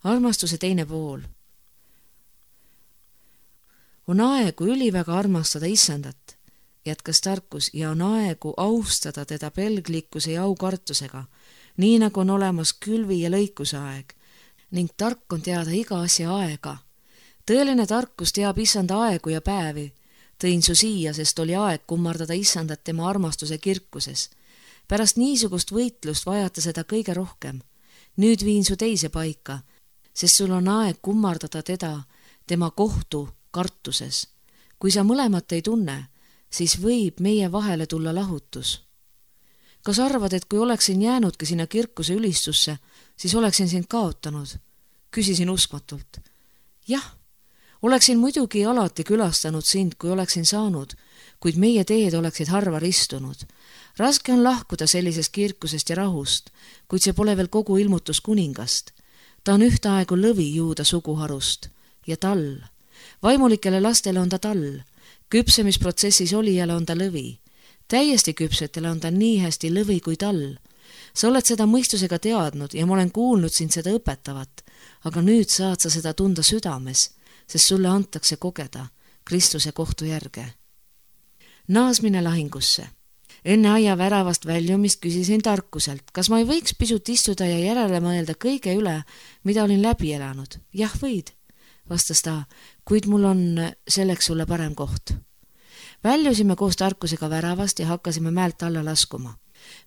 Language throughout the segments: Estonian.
armastuse teine pool. On aegu üliväga armastada Issandat, jätkas Tarkus, ja on aegu austada teda pelglikkuse ja aukartusega, nii nagu on olemas külvi ja lõikuse aeg, ning tark on teada iga asja aega. Tõeline tarkus teab Issanda aegu ja päevi. Tõin su siia, sest oli aeg kummardada Issandat tema armastuse kirkuses. Pärast niisugust võitlust vajata seda kõige rohkem. Nüüd viin su teise paika, sest sul on aeg kummardada teda tema kohtu kartuses. Kui sa mõlemat ei tunne, siis võib meie vahele tulla lahutus. Kas arvad, et kui oleksin jäänudki sinna kirkuse ülistusse, siis oleksin sind kaotanud? Küsisin uskmatult. Jah, oleksin muidugi alati külastanud sind, kui oleksin saanud, kuid meie teed oleksid harva ristunud. Raske on lahkuda sellisest kirkusest ja rahust, kuid see pole veel kogu ilmutus kuningast. Ta on ühtaegu lõvi juuda suguharust ja tall. Vaimulikele lastele on ta tall. Küpsemisprotsessis olijale on ta lõvi. Täiesti küpsetele on ta nii hästi lõvi kui tall. Sa oled seda mõistusega teadnud ja ma olen kuulnud sind seda õpetavat, aga nüüd saad sa seda tunda südames, sest sulle antakse kogeda Kristuse kohtu järge. Naasmine lahingusse. Enne aia väravast väljumist küsisin Tarkuselt, kas ma ei võiks pisut istuda ja järele mõelda kõige üle, mida olin läbi elanud. Jah, võid, vastas ta, kuid mul on selleks sulle parem koht. Väljusime koos Tarkusega väravast ja hakkasime mäelt alla laskuma.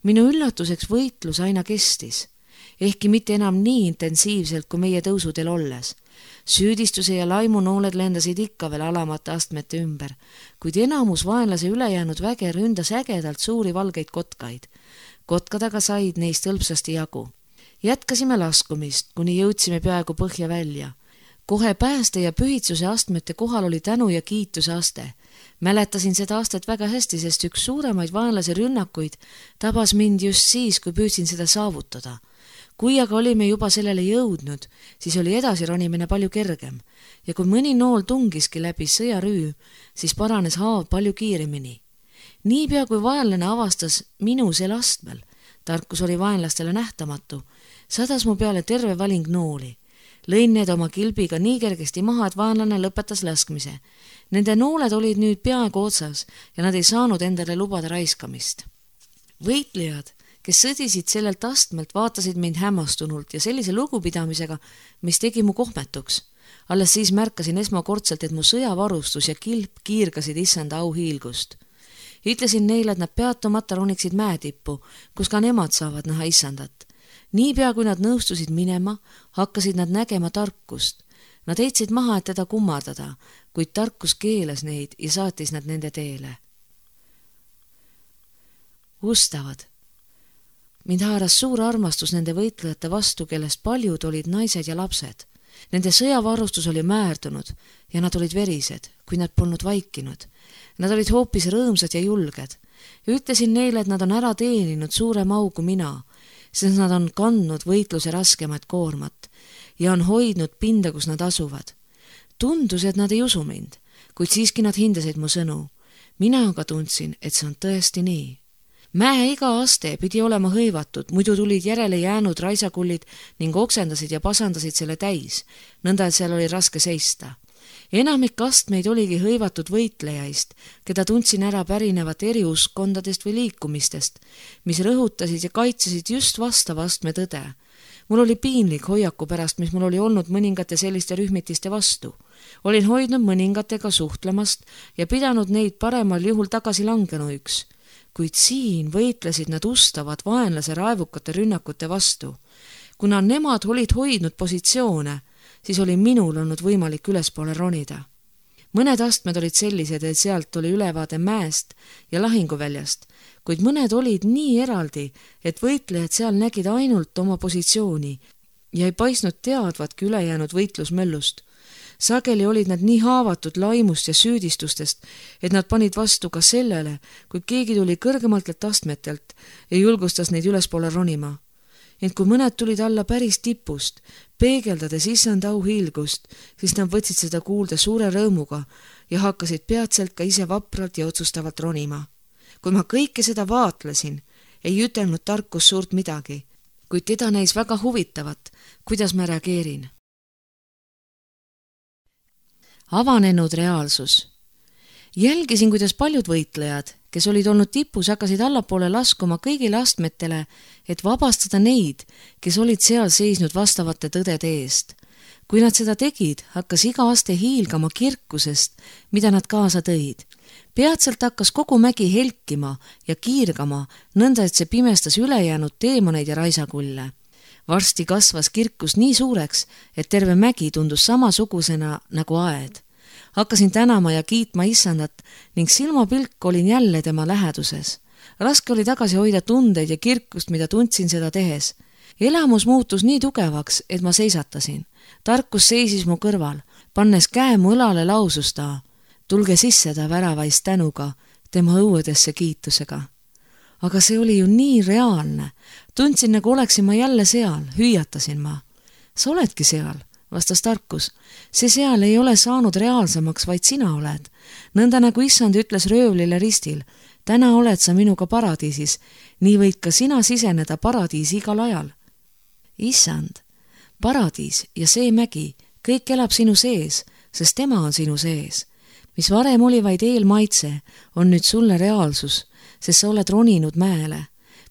Minu üllatuseks võitlus aina kestis, ehkki mitte enam nii intensiivselt kui meie tõusudel olles. Süüdistuse ja laimunooled lendasid ikka veel alamate astmete ümber, kuid enamus vaenlase ülejäänud väge ründas ägedalt suuri valgeid kotkaid. Kotkad aga said neist hõlpsasti jagu. Jätkasime laskumist, kuni jõudsime peaaegu põhja välja. Kohe pääste ja pühitsuse astmete kohal oli tänu ja kiituse aste. Mäletasin seda astet väga hästi, sest üks suuremaid vaenlase rünnakuid tabas mind just siis, kui püüdsin seda saavutada. Kui aga olime juba sellele jõudnud, siis oli edasi ronimine palju kergem ja kui mõni nool tungiski läbi sõjarüü, siis paranes haav palju kiiremini. Niipea kui vaenlane avastas minu sel astmel, Tarkus oli vaenlastele nähtamatu, sadas mu peale terve valing nooli. Lõin need oma kilbiga nii kergesti maha, et vaenlane lõpetas laskmise. Nende nooled olid nüüd peaaegu otsas ja nad ei saanud endale lubada raiskamist. Võitlejad, kes sõdisid sellelt astmelt, vaatasid mind hämmastunult ja sellise lugupidamisega, mis tegi mu kohmetuks. Alles siis märkasin esmakordselt, et mu sõjavarustus ja kilp kiirgasid Issanda auhiilgust. Ütlesin neile, et nad peatumata roniksid mäetippu, kus ka nemad saavad näha Issandat. Niipea kui nad nõustusid minema, hakkasid nad nägema Tarkust. Nad heitsid maha, et teda kummardada, kuid Tarkus keelas neid ja saatis nad nende teele. Ustavad. Mind haaras suur armastus nende võitlejate vastu, kellest paljud olid naised ja lapsed. Nende sõjavarustus oli määrdunud ja nad olid verised, kui nad polnud vaikinud. Nad olid hoopis rõõmsad ja julged. Ütlesin neile, et nad on ära teeninud suurem au kui mina, sest nad on kandnud võitluse raskemat koormat ja on hoidnud pinda, kus nad asuvad. Tundus, et nad ei usu mind, kuid siiski nad hindasid mu sõnu. Mina aga tundsin, et see on tõesti nii. Mäe iga aste pidi olema hõivatud, muidu tulid järele jäänud raisakullid ning oksendasid ja pasandasid selle täis, nõnda et seal oli raske seista. Enamik astmeid oligi hõivatud võitlejaist, keda tundsin ära pärinevat eri uskkondadest või liikumistest, mis rõhutasid ja kaitsesid just vastava astme tõde. Mul oli piinlik hoiaku pärast, mis mul oli olnud mõningate selliste rühmitiste vastu. Olin hoidnud mõningatega suhtlemast ja pidanud neid paremal juhul tagasi langenuiks, kuid siin võitlesid nad ustavad vaenlase raevukate rünnakute vastu. Kuna nemad olid hoidnud positsioone, siis oli minul olnud võimalik ülespoole ronida. Mõned astmed olid sellised, et sealt oli ülevaade mäest ja lahinguväljast, kuid mõned olid nii eraldi, et võitlejad seal nägid ainult oma positsiooni ja ei paistnud teadvatki ülejäänud võitlusmöllust. Sageli olid nad nii haavatud laimust ja süüdistustest, et nad panid vastu ka sellele, kui keegi tuli kõrgemaltelt astmetelt ja julgustas neid ülespoole ronima. Ent kui mõned tulid alla päris tipust, peegeldades Issanda auhiilgust, siis nad võtsid seda kuulda suure rõõmuga ja hakkasid peatselt ka ise vapralt ja otsustavalt ronima. Kui ma kõike seda vaatlesin, ei ütelnud Tarkus suurt midagi, kuid teda näis väga huvitavat, kuidas ma reageerin. avanenud reaalsus. Jälgisin, kuidas paljud võitlejad, kes olid olnud tipus, hakkasid allapoole laskuma kõigile astmetele, et vabastada neid, kes olid seal seisnud vastavate tõdede eest. Kui nad seda tegid, hakkas iga aste hiilgama kirkusest, mida nad kaasa tõid. Peatselt hakkas kogu mägi helkima ja kiirgama, nõnda et see pimestas ülejäänud teemoneid ja raisakulle. Varsti kasvas kirkus nii suureks, et terve mägi tundus samasugusena nagu aed. Hakkasin tänama ja kiitma Issandat ning silmapilk olin jälle tema läheduses. Raske oli tagasi hoida tundeid ja kirkust, mida tundsin seda tehes. Elamus muutus nii tugevaks, et ma seisatasin. Tarkus seisis mu kõrval, pannes käe mu õlale lausus ta. Tulge sisse ta väravais tänuga, tema õuedesse kiitusega. Aga see oli ju nii reaalne. Tundsin, nagu oleksin ma jälle seal, hüüatasin ma. Sa oledki seal, vastas Tarkus. See seal ei ole saanud reaalsemaks, vaid sina oled. Nõnda nagu Issand ütles röövlile ristil, täna oled sa minuga paradiisis, nii võid ka sina siseneda paradiisi igal ajal. Issand, paradiis ja see mägi, kõik elab sinu sees, sest tema on sinu sees. Mis varem oli vaid eelmaitse, on nüüd sulle reaalsus, sest sa oled roninud mäele.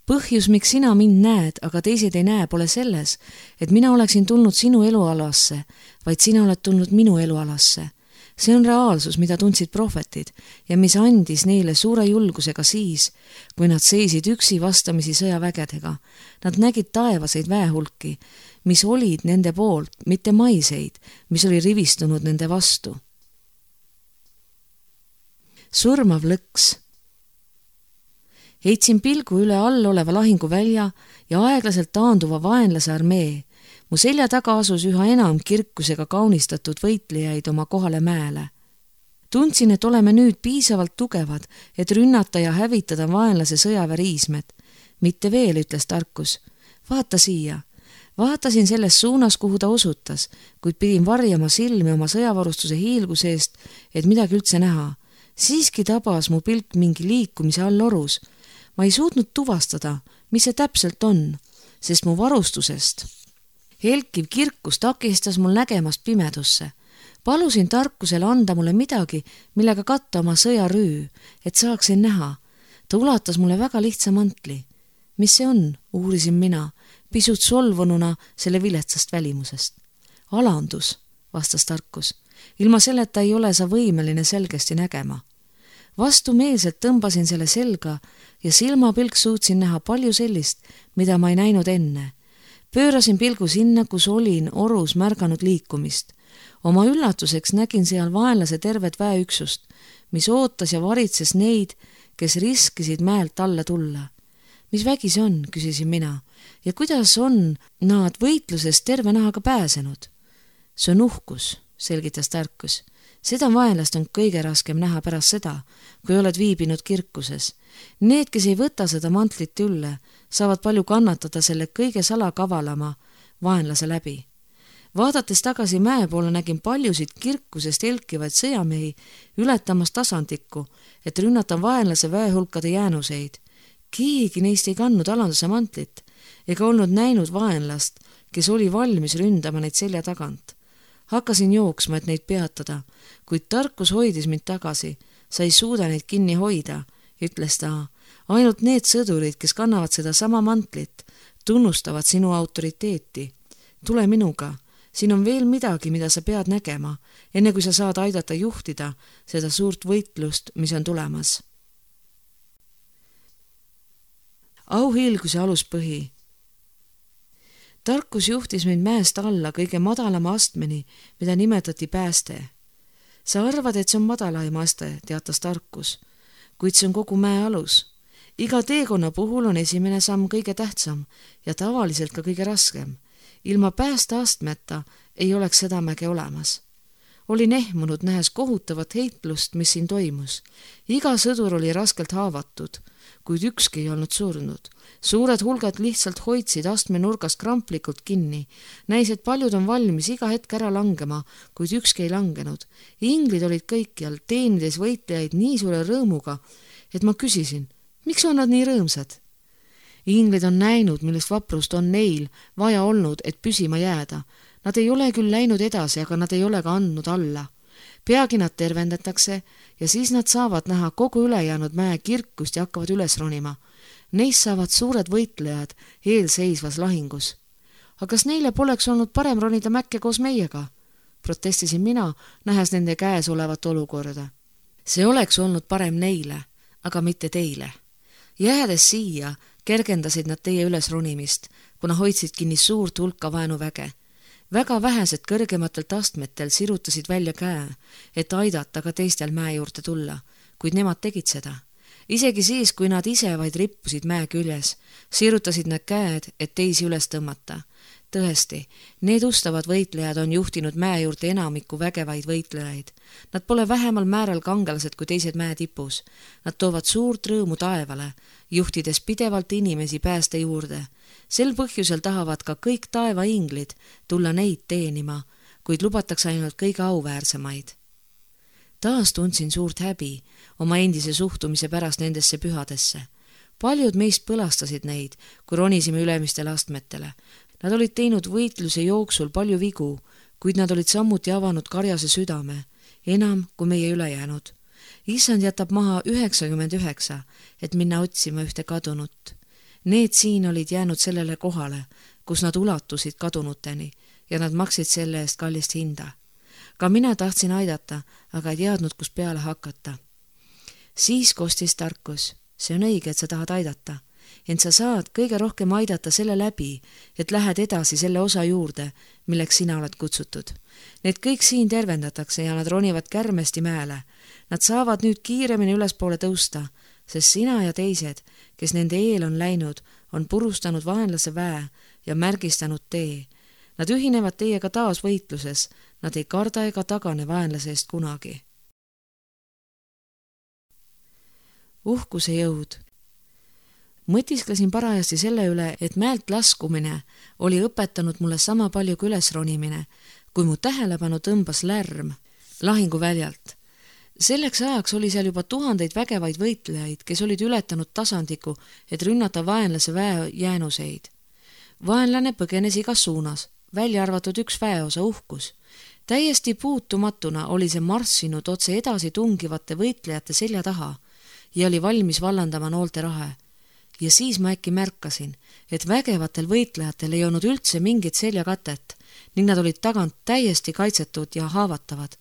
Põhjus, miks sina mind näed, aga teised ei näe, pole selles, et mina oleksin tulnud sinu elualasse, vaid sina oled tulnud minu elualasse. See on reaalsus, mida tundsid prohvetid ja mis andis neile suure julgusega siis, kui nad seisid üksi vastamisi sõjavägedega. Nad nägid taevaseid väehulki, mis olid nende poolt, mitte maiseid, mis oli rivistunud nende vastu. Surmav lõks. Heitsin pilgu üle all oleva lahinguvälja ja aeglaselt taanduva vaenlase armee. Mu selja taga asus üha enam kirkusega kaunistatud võitlejaid oma kohale mäele. Tundsin, et oleme nüüd piisavalt tugevad, et rünnata ja hävitada vaenlase sõjaväriismed. Mitte veel, ütles Tarkus. Vaata siia. Vaatasin selles suunas, kuhu ta osutas, kuid pidin varjama silmi oma sõjavarustuse hiilguse eest, et midagi üldse näha. Siiski tabas mu pilk mingi liikumise all orus. Ma ei suutnud tuvastada, mis see täpselt on, sest mu varustusest helkiv kirkus takistas mul nägemast pimedusse. Palusin Tarkusele anda mulle midagi, millega katta oma sõjarüü, et saaksin näha. Ta ulatas mulle väga lihtsa mantli. Mis see on, uurisin mina, pisut solvununa selle viletsast välimusest. Alandus, vastas Tarkus. Ilma selleta ei ole sa võimeline selgesti nägema. Vastumeelselt tõmbasin selle selga ja silmapilk suutsin näha palju sellist, mida ma ei näinud enne. Pöörasin pilgu sinna, kus olin orus märganud liikumist. Oma üllatuseks nägin seal vaenlase tervet väeüksust, mis ootas ja varitses neid, kes riskisid mäelt alla tulla. Mis vägi see on, küsisin mina, ja kuidas on nad võitlusest terve nahaga pääsenud? See on uhkus, selgitas Tarkus. Seda vaenlast on kõige raskem näha pärast seda, kui oled viibinud kirkuses. Need, kes ei võta seda mantlit ülle, saavad palju kannatada selle kõige salakavalama vaenlase läbi. Vaadates tagasi mäe poole nägin paljusid kirkusest helkivaid sõjamehi ületamas tasandikku, et rünnata vaenlase väehulkade jäänuseid. Keegi neist ei kandnud alanduse mantlit ega olnud näinud vaenlast, kes oli valmis ründama neid selja tagant. Hakkasin jooksma, et neid peatada, kuid Tarkus hoidis mind tagasi. Sa ei suuda neid kinni hoida, ütles ta. Ainult need sõdurid, kes kannavad seda sama mantlit, tunnustavad sinu autoriteeti. Tule minuga. Siin on veel midagi, mida sa pead nägema, enne kui sa saad aidata juhtida seda suurt võitlust, mis on tulemas. Auhiilguse aluspõhi. Tarkus juhtis mind mäest alla kõige madalama astmeni, mida nimetati pääste. Sa arvad, et see on madalaim aste, teatas Tarkus, kuid see on kogu mäe alus. Iga teekonna puhul on esimene samm kõige tähtsam ja tavaliselt ka kõige raskem. Ilma päästeastmeta ei oleks seda mäge olemas. Olin ehmunud, nähes kohutavat heitlust, mis siin toimus. Iga sõdur oli raskelt haavatud, kuid ükski ei olnud surnud. Suured hulgad lihtsalt hoidsid astme nurgast kramplikult kinni. Näis, et paljud on valmis iga hetk ära langema, kuid ükski ei langenud. Inglid olid kõikjal, teenides võitlejaid nii suure rõõmuga, et ma küsisin, miks on nad nii rõõmsad? Inglid on näinud, millest vaprust on neil vaja olnud, et püsima jääda. Nad ei ole küll läinud edasi, aga nad ei ole ka andnud alla. peagi nad tervendatakse ja siis nad saavad näha kogu ülejäänud mäe kirkust ja hakkavad üles ronima. Neist saavad suured võitlejad eelseisvas lahingus. Aga kas neile poleks olnud parem ronida mäkke koos meiega? Protestisin mina, nähes nende käes olevat olukorda. See oleks olnud parem neile, aga mitte teile. Jäädes siia kergendasid nad teie üles ronimist, kuna hoidsid kinni suurt hulka vaenuväge. Väga vähesed kõrgematelt astmetel sirutasid välja käe, et aidata ka teistel mäe juurde tulla, kuid nemad tegid seda. Isegi siis, kui nad ise vaid rippusid mäe küljes, sirutasid nad käed, et teisi üles tõmmata. Tõesti, need ustavad võitlejad on juhtinud mäe juurde enamiku vägevaid võitlejaid. Nad pole vähemal määral kangelased kui teised mäe tipus. Nad toovad suurt rõõmu taevale, juhtides pidevalt inimesi pääste juurde. Sel põhjusel tahavad ka kõik taevainglid tulla neid teenima, kuid lubatakse ainult kõige auväärsemaid. Taas tundsin suurt häbi oma endise suhtumise pärast nendesse pühadesse. Paljud meist põlastasid neid, kui ronisime ülemistele astmetele. Nad olid teinud võitluse jooksul palju vigu, kuid nad olid samuti avanud karjase südame, enam kui meie ülejäänud. Issand jätab maha 99, et minna otsima ühte kadunut. Need siin olid jäänud sellele kohale, kus nad ulatusid kadunuteni ja nad maksid selle eest kallist hinda. Ka mina tahtsin aidata, aga ei teadnud, kus peale hakata. Siis kostis tarkus. See on õige, et sa tahad aidata. Ent sa saad kõige rohkem aidata selle läbi, et lähed edasi selle osa juurde, milleks sina oled kutsutud. Need kõik siin tervendatakse ja nad ronivad kärmesti mäele. Nad saavad nüüd kiiremini ülespoole tõusta, sest sina ja teised, kes nende eel on läinud, on purustanud vaenlase väe ja märgistanud tee. Nad ühinevad teiega taas võitluses, nad ei karda ega tagane vaenlase eest kunagi. Uhkuse jõud. Mõtisklesin parajasti selle üle, et mäelt laskumine oli õpetanud mulle sama palju kui ülesronimine, kui mu tähelepanu tõmbas lärm lahinguväljalt. Selleks ajaks oli seal juba tuhandeid vägevaid võitlejaid, kes olid ületanud tasandiku, et rünnata vaenlase väe jäänuseid. Vaenlane põgenes igas suunas, välja arvatud üks väeosa uhkus. Täiesti puutumatuna oli see marssinud otse edasi tungivate võitlejate selja taha ja oli valmis vallandama noolte rahe. Ja siis ma äkki märkasin, et vägevatel võitlejatel ei olnud üldse mingit seljakatet ning nad olid tagant täiesti kaitsetud ja haavatavad.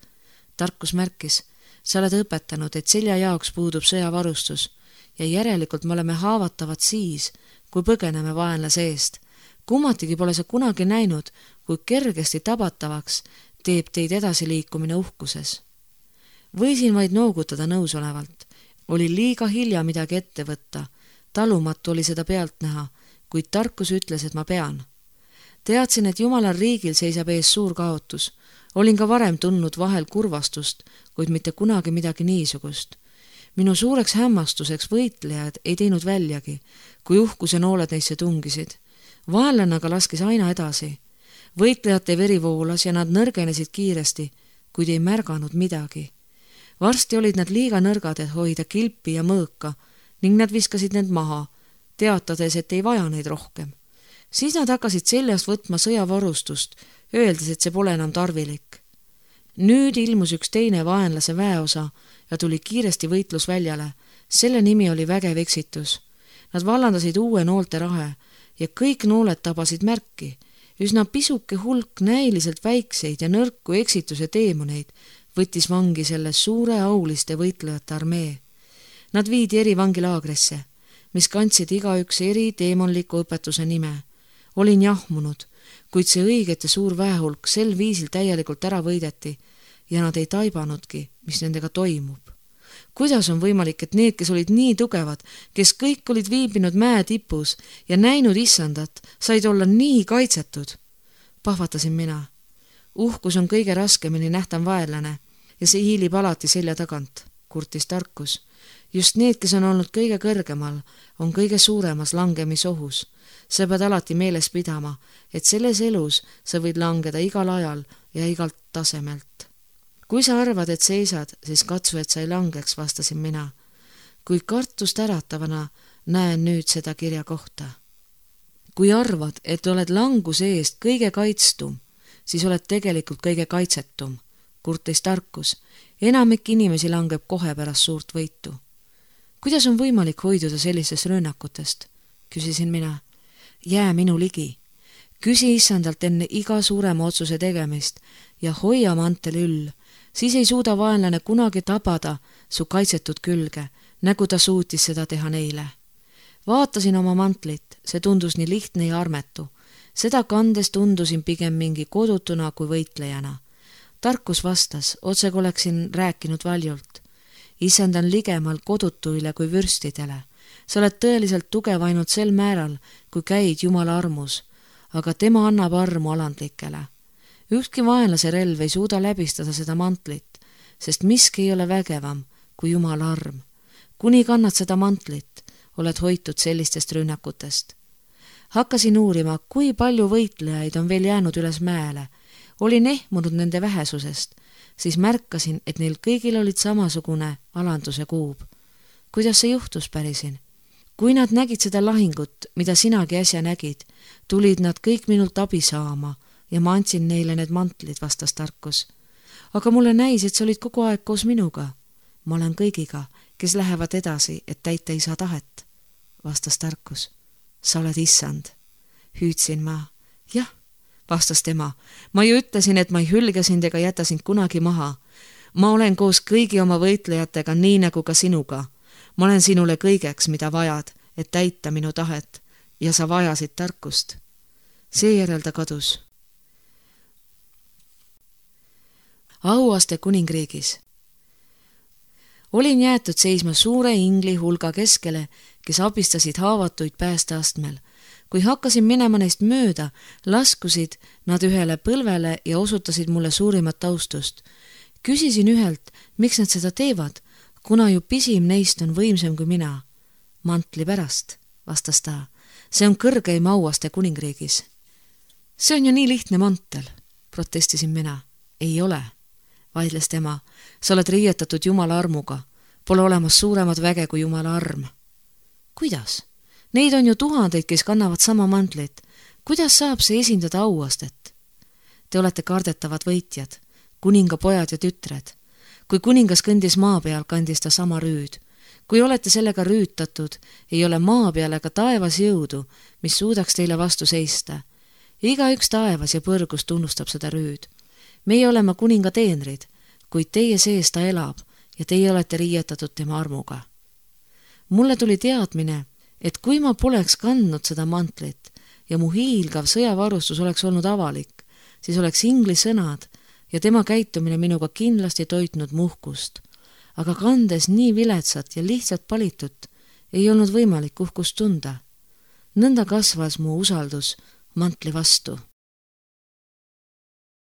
Tarkus märkis, sa oled õpetanud, et selja jaoks puudub sõjavarustus ja järelikult me oleme haavatavad siis, kui põgeneme vaenlase eest. Kummatigi pole sa kunagi näinud, kui kergesti tabatavaks teeb teid edasiliikumine uhkuses. Võisin vaid noogutada nõusolevalt. Oli liiga hilja midagi ette võtta. Talumatu oli seda pealt näha, kuid tarkus ütles, et ma pean. Teadsin, et Jumalal riigil seisab ees suur kaotus. Olin ka varem tundnud vahel kurvastust, kuid mitte kunagi midagi niisugust. Minu suureks hämmastuseks võitlejad ei teinud väljagi, kui uhkuse nooled neisse tungisid. Vaenlane aga laskis aina edasi. Võitlejate veri voolas ja nad nõrgenesid kiiresti, kuid ei märganud midagi. Varsti olid nad liiga nõrgad, et hoida kilpi ja mõõka, ning nad viskasid need maha, teatades, et ei vaja neid rohkem. Siis nad hakkasid seljast võtma sõjavarustust, öeldes, et see pole enam tarvilik. Nüüd ilmus üks teine vaenlase väeosa ja tuli kiiresti võitlusväljale. Selle nimi oli vägev eksitus. Nad vallandasid uue noolte rahe ja kõik nooled tabasid märki. Üsna pisuke hulk näiliselt väikseid ja nõrku eksituse teemoneid võttis vangi selle suure auliste võitlejate armee. Nad viidi eri vangilaagrisse, mis kandsid igaüks eri teemonliku õpetuse nime. Olin jahmunud, kuid see õigete suur väehulk sel viisil täielikult ära võideti ja nad ei taibanudki, mis nendega toimub. Kuidas on võimalik, et need, kes olid nii tugevad, kes kõik olid viibinud mäe tipus ja näinud issandat, said olla nii kaitsetud? Pahvatasin mina. Uhkus on kõige raskemini nähtav vaenlane ja see hiilib alati selja tagant, kurtis tarkus. Just need, kes on olnud kõige kõrgemal, on kõige suuremas langemisohus. Sa pead alati meeles pidama, et selles elus sa võid langeda igal ajal ja igalt tasemelt. Kui sa arvad, et seisad, siis katsu, et sa ei langeks, vastasin mina. Kui kartust äratavana näen nüüd seda kirja kohta. Kui arvad, et oled languse eest kõige kaitstum, siis oled tegelikult kõige kaitsetum, kurtis Tarkus. Enamik inimesi langeb kohe pärast suurt võitu. Kuidas on võimalik hoiduda sellistest rönnakutest? Küsisin mina. Jää minu ligi. Küsi issandalt enne iga suurema otsuse tegemist ja hoia mantel üll. Siis ei suuda vaenlane kunagi tabada su kaitsetud külge, nagu ta suutis seda teha neile. Vaatasin oma mantlit, see tundus nii lihtne ja armetu. Seda kandes tundusin pigem mingi kodutuna kui võitlejana. Tarkus vastas, otse oleksin rääkinud valjult. Issand on ligemal kodutuile kui vürstidele. Sa oled tõeliselt tugev ainult sel määral, kui käid Jumala armus, aga tema annab armu alandlikele. Ükski vaenlase relv ei suuda läbistada seda mantlit, sest miski ei ole vägevam kui Jumala arm. Kuni kannad seda mantlit, oled hoitud sellistest rünnakutest. Hakkasin uurima, kui palju võitlejaid on veel jäänud üles mäele. Olin ehmunud nende vähesusest, siis märkasin, et neil kõigil olid samasugune alanduse kuub. Kuidas see juhtus, pärisin? Kui nad nägid seda lahingut, mida sinagi äsja nägid, tulid nad kõik minult abi saama ja ma andsin neile need mantlid, vastas Tarkus. Aga mulle näis, et sa olid kogu aeg koos minuga. Ma olen kõigiga, kes lähevad edasi, et täita isa tahet, vastas Tarkus. Sa oled issand. Hüüdsin ma. Jah, vastas tema. Ma ju ütlesin, et ma ei hülge sind ega jäta sind kunagi maha. Ma olen koos kõigi oma võitlejatega, nii nagu ka sinuga. Ma olen sinule kõigeks, mida vajad, et täita minu tahet ja sa vajasid Tarkust. Seejärel ta kadus. Auaste kuningriigis. Olin jäetud seisma suure ingli hulga keskele, kes abistasid haavatuid päästeastmel. Kui hakkasin minema neist mööda, laskusid nad ühele põlvele ja osutasid mulle suurimat austust. Küsisin ühelt, miks nad seda teevad, kuna ju pisim neist on võimsam kui mina. Mantli pärast, vastas ta. See on kõrgeim Auaste kuningriigis. See on ju nii lihtne mantel, protestisin mina. Ei ole, vaidles tema. Sa oled riietatud Jumala armuga. Pole olemas suuremad väge kui Jumala arm. Kuidas? Neid on ju tuhandeid, kes kannavad sama mantlit. Kuidas saab see esindada Auastet? Te olete kardetavad võitjad, kuningapojad ja tütred. Kui kuningas kõndis maa peal, kandis ta sama rüüd. Kui olete sellega rüütatud, ei ole maa peal ega taevas jõudu, mis suudaks teile vastu seista. Igaüks taevas ja põrgus tunnustab seda rüüd. Meie oleme kuninga teenrid, kuid teie sees ta elab ja teie olete riietatud tema armuga. Mulle tuli teadmine, et kui ma poleks kandnud seda mantlit ja mu hiilgav sõjavarustus oleks olnud avalik, siis oleks ingli sõnad ja tema käitumine minuga kindlasti toitnud muhkust. Aga kandes nii viletsat ja lihtsalt palitut, ei olnud võimalik uhkust tunda. Nõnda kasvas mu usaldus mantli vastu.